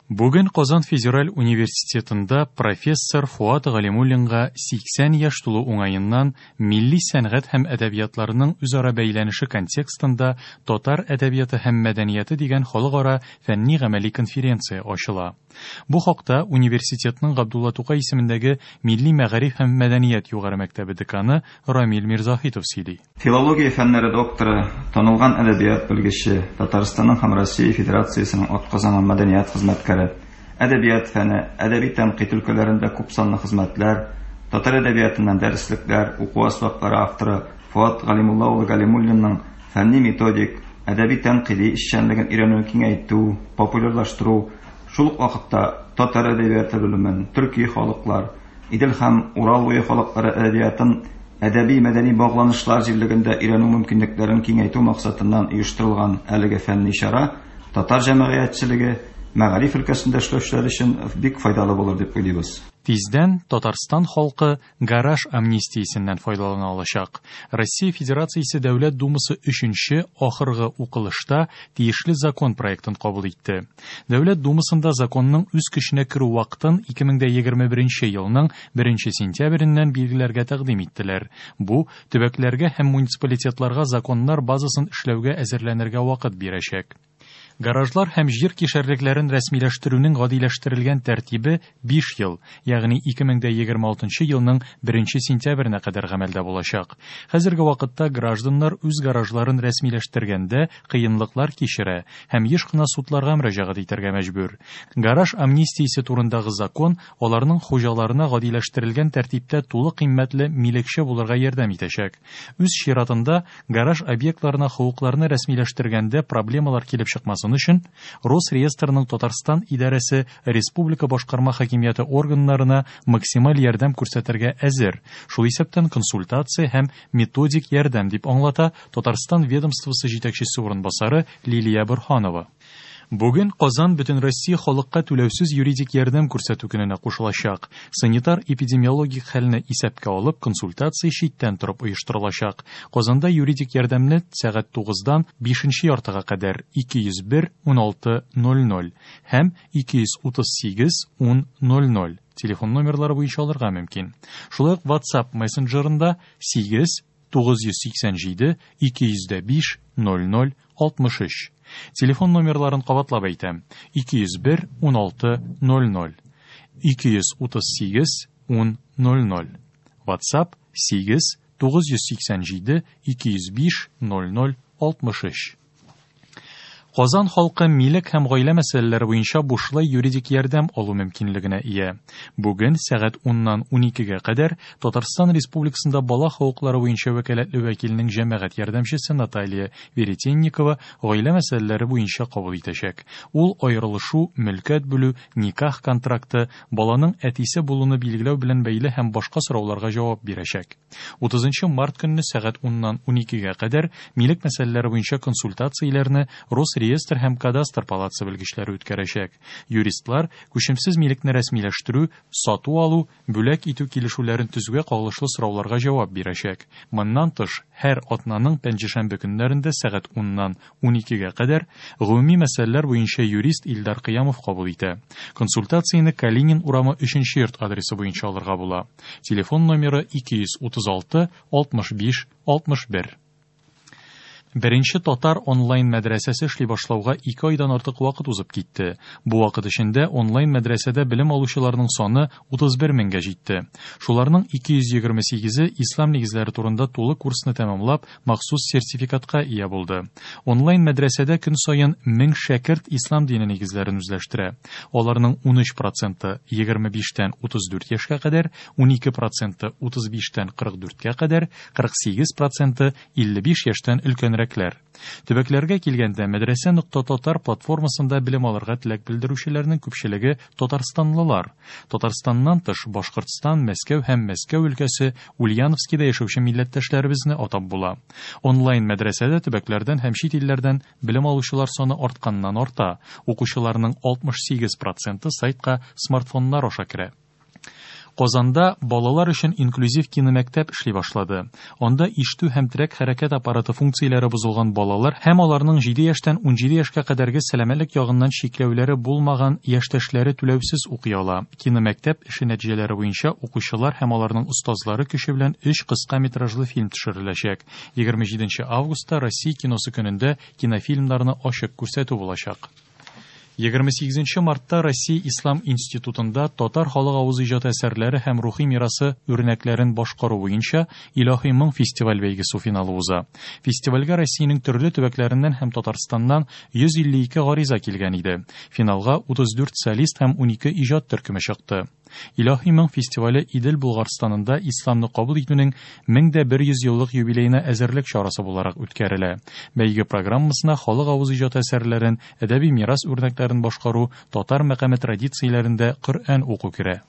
Бүген Казан федераль университетында профессор Фоат Галимуллинга 80 яшь тулу уңаеннан милли сәнгать һәм әдәбиятларның үзара бәйләнеше контекстында татар әдәбияты һәм мәдәнияте дигән халыкара фәнни-гамәли конференция ачыла. Бу хакта университетның Габдулла Тукай исемендәге Милли мәгариф һәм мәдәният югары мәктәбе деканы Рамил Мирзаһитов сөйли. Филология фәннәре докторы, танылган әдәбият белгече, Татарстанның һәм Россия Федерациясенең атказанган мәдәният хезмәткәре, әдәбият фәне, әдәби тәнкыйть өлкәләрендә күпсанлы хезмәтләр, татар әдәбиятыннан дәреслекләр, уку әсбаплары авторы Фоат Галимулла улы Галимуллинның фәнни-методик, әдәби-тәнкыйди эшчәнлеген өйрәнүне киңәйтү, популярлаштыру, шул ук вакытта татар әдәбияты белемен, төрки халыклар, Идел һәм Урал буе халыклары әдәбиятын әдәби-мәдәни багланышлар җирлегендә өйрәнү мөмкинлекләрен киңәйтү максатыннан оештырылган әлеге фәнни чара татар җәмәгыятьчелеге, мәгариф өлкәсендә эшләүчеләр өчен бик файдалы булыр дип уйлыйбыз. Тиздән Татарстан халкы гараж амнистиясеннән файдалана алачак. Россия Федерациясе Дәүләт Думасы өченче, ахыргы укылышта тиешле закон проектын кабул итте. Дәүләт Думасында законның үз көченә керү вакытын 2021 елның 1 сентябреннән билгеләргә тәкъдим иттеләр. Бу, төбәкләргә һәм муниципалитетларга законнар базасын эшләүгә әзерләнергә вакыт бирәчәк. Гаражлар һәм җир кишәрлекләрен рәсмиләштерүнең гадиләштерелгән тәртибе 5 ел, ягъни 2026 елның 1 сентябренә кадәр гамәлдә булачак. Хәзерге вакытта гражданнар үз гаражларын рәсмиләштергәндә кыенлыклар кичерә һәм еш кына судларга мөрәҗәгать итәргә мәҗбүр. Гараж амнистиясе турындагы закон аларның хуҗаларына гадиләштерелгән тәртиптә тулы кыйммәтле милекче булырга ярдәм итәчәк. Үз чиратында гараж объектларына хокукларны рәсмиләштергәндә проблемалар килеп чыкмасын өчен Росреестрның Татарстан идарәсе республика башкарма хакимияте органнарына максималь ярдәм күрсәтергә әзер, шул исәптән консультация һәм методик ярдәм, дип аңлата Татарстан ведомствосы җитәкчесе урынбасары Лилия Борһанова. Бүген Казан Бөтенроссия халыкка түләүсез юридик ярдәм күрсәтү көненә кушылачак. Санитар-эпидемиологик хәлне исәпкә алып, консультация читтән торып оештырылачак. Казанда юридик ярдәмне сәгать 9-дан 5 яртыга кадәр 201 16 00 һәм 238 10 00 телефон номерлары буенча алырга мөмкин. Шулай ук WhatsApp мессенджерында 8 987 205 00 63. Телефон номерларын кабатлап әйтәм. 201 16 00 238 10 00. WhatsApp 8 987 205 00 63. Казан халкы милек һәм гаилә мәсьәләләре буенча бушлай юридик ярдәм алу мөмкинлегенә ия. Бүген сәгать 10-нан 12-гә кадәр Татарстан Республикасында бала хокуклары буенча вәкаләтле вәкилнең җәмәгать ярдәмчесе Наталья Веретенникова гаилә мәсьәләләре буенча кабул итәчәк. Ул аерылышу, мөлкәт бүлү, никах контракты, баланың әтисе булуны билгеләү белән бәйле һәм башка сорауларга җавап бирәчәк. 30 март көнне сәгать 10-нан 12-гә кадәр милек мәсьәләләре буенча консультацияләрне Росреестр һәм Кадастр палатасы белгечләре үткәрәчәк. Юристлар күчемсез милекне рәсмиләштерү, сату алу, бүләк итү килешүләрен төзүгә кагылышлы сорауларга җавап бирәчәк. Моннан тыш, һәр атнаның пәнҗешәмбе көннәрендә сәгать 10-нан 12-гә кадәр гомуми мәсьәләләр буенча юрист Илдар Кыямов кабул итә. Консультацияне Калинин урамы 3 йорт адресы буенча алырга була. Телефон номеры 236 65 61. Беренче татар онлайн мәдрәсәсе эшли башлауга 2 айдан артык вакыт узып китте. Бу вакыт эчендә онлайн мәдрәсәдә белем алучыларның саны 31 меңгә җитте. Шуларның 228-е ислам нигезләре турында тулы курсны тәмамлап, махсус сертификатка ия булды. Онлайн мәдрәсәдә көн саен 1000 шәкерт ислам дине нигезләрен үзләштерә. Аларның 13% 25-тән 34 яшькә кадәр, 12% 35-тән 44-кә кадәр, 48% 55 яшьтән өлкәнрәкләр. Төбәкләргә килгәндә мәдрәсә нокта татар платформасында белем алырга теләк белдерүчеләрнең күпчелеге татарстанлылар. Татарстаннан тыш Башкортстан, Мәскәү һәм Мәскәү өлкәсе Ульяновскида яшәүче милләттәшләребезне атап була. Онлайн мәдрәсәдә төбәкләрдән һәм чит илләрдән белем алучылар саны артканнан арта. Укучыларның 68% сайтка смартфоннар аша керә. Казанда балалар өчен инклюзив киномәктәп эшли башлады. Анда ишетү һәм терәк-хәрәкәт аппараты функцияләре бозылган балалар һәм аларның 7 яшьтән 17 яшькә кадәрге сәламәтлек ягыннан чикләүләре булмаган яшьтәшләре түләүсез укый ала. Киномәктәп эше нәтиҗәләре буенча укучылар һәм аларның остазлары көче белән өч кыска метражлы фильм төшереләчәк. 27 августта Россия киносы көнендә кинофильмнарны ачык күрсәтү булачак. 28 мартта Россия Ислам институтында татар халык авыз иҗаты әсәрләре һәм рухи мирасы үрнәкләрен башкару буенча Илаһи моң фестиваль бәйгесе финалы уза. Фестивальгә Россиянең төрле төбәкләреннән һәм Татарстаннан 152 гариза килгән иде. Финалга 34 солист һәм 12 иҗат төркеме чыкты. Илаһи моң фестивале Идел Булгарстанында исламны кабул итүнең 1100 еллык юбилеена әзерлек чарасы буларак үткәрелә. Бәйге программасына халык авыз иҗаты әсәрләрен, әдәби мирас үрнәкләрен башкару, татар мәкаме традицияләрендә Коръән уку керә.